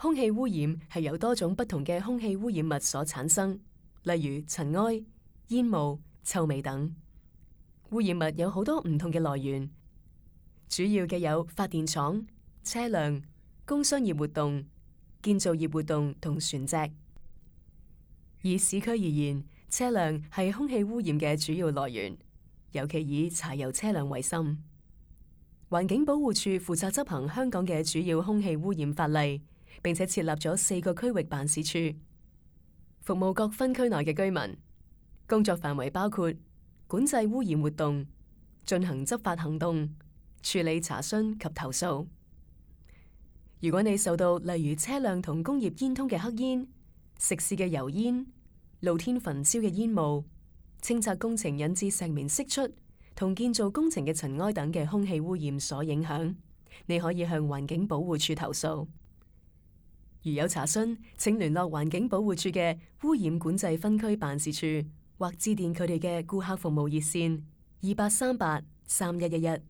空氣污染係由多種不同嘅空氣污染物所產生，例如塵埃、煙霧、臭味等。污染物有好多唔同嘅來源，主要嘅有發電廠、車輛、工商業活動、建造業活動同船隻。以市區而言，車輛係空氣污染嘅主要來源，尤其以柴油車輛為甚。環境保護署負責執行香港嘅主要空氣污染法例，並且設立咗4個區域辦事處，服務各分區內嘅居民。工作範圍包括管制污染活動、進行執法行動、處理查詢及投訴。如果你受到例如車輛同工業煙囪嘅黑煙、食肆嘅油煙、露天焚燒嘅煙霧、清拆工程引致石棉釋出同建造工程嘅塵埃等嘅空氣污染所影響，你可以向環境保護署投訴。如有查詢，請聯絡環境保護署嘅污染管制分區辦事處，或致電佢哋嘅顧客服務熱線28383111。